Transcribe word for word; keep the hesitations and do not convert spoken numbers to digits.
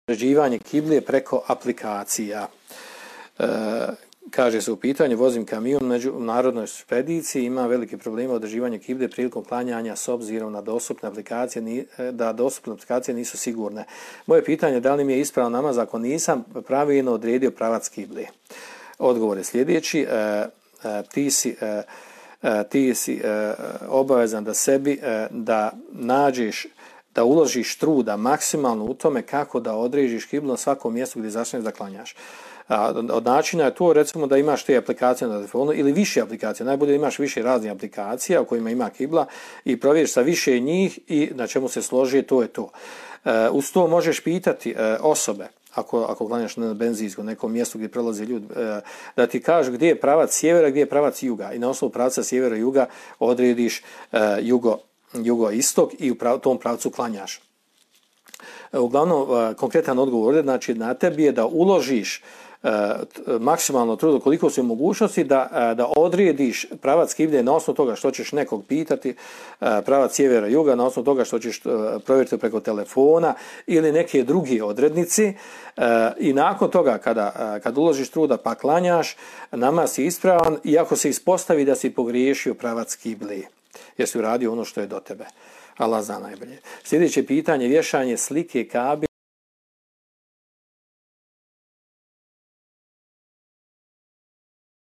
određivanje kible preko aplikacija. E, kaže se u pitanju, vozim kamion među narodnoj špediciji, ima velike probleme određivanja kible prilikom klanjanja s obzirom na dostupne aplikacije, da dostupne aplikacije nisu sigurne. Moje pitanje je da li mi je ispravan namaz ako nisam pravilno odredio pravac kible. Odgovor je sljedeći, e, e, ti si, e, e, ti si e, obavezan da sebi e, da nađeš, da uložiš truda maksimalno u tome kako da određiš kiblu na svakom mjestu gdje začneš da klanjaš. Od načina je to, recimo, da imaš te aplikacije na telefonu ili više aplikacija. Najbolje da imaš više raznih aplikacija u kojima ima kibla i provjeriš sa više njih i na čemu se složi, to je to. Uz to možeš pitati osobe, ako, ako klanjaš na benzinskom nekom mjestu gdje prelaze ljudi, da ti kažu gdje je pravac sjevera, gdje je pravac juga i na osnovu pravca sjevera i juga odrediš jugo, jugo-istok i u prav, tom pravcu klanjaš. Uglavnom, konkretan odgovor je, znači, na tebi je da uložiš maksimalno trudo koliko su mogućnosti da, da odrediš pravac kible na osnovu toga što ćeš nekog pitati, pravac sjevera juga, na osnovu toga što ćeš provjeriti preko telefona ili neke druge odrednici i nakon toga kada, kada uložiš truda pa klanjaš, namaz je ispravan i ako se ispostavi da si pogriješio pravac kible jer si uradio ono što je do tebe. Allah zna najbolje. Sljedeće pitanje, vješanje slike Kabe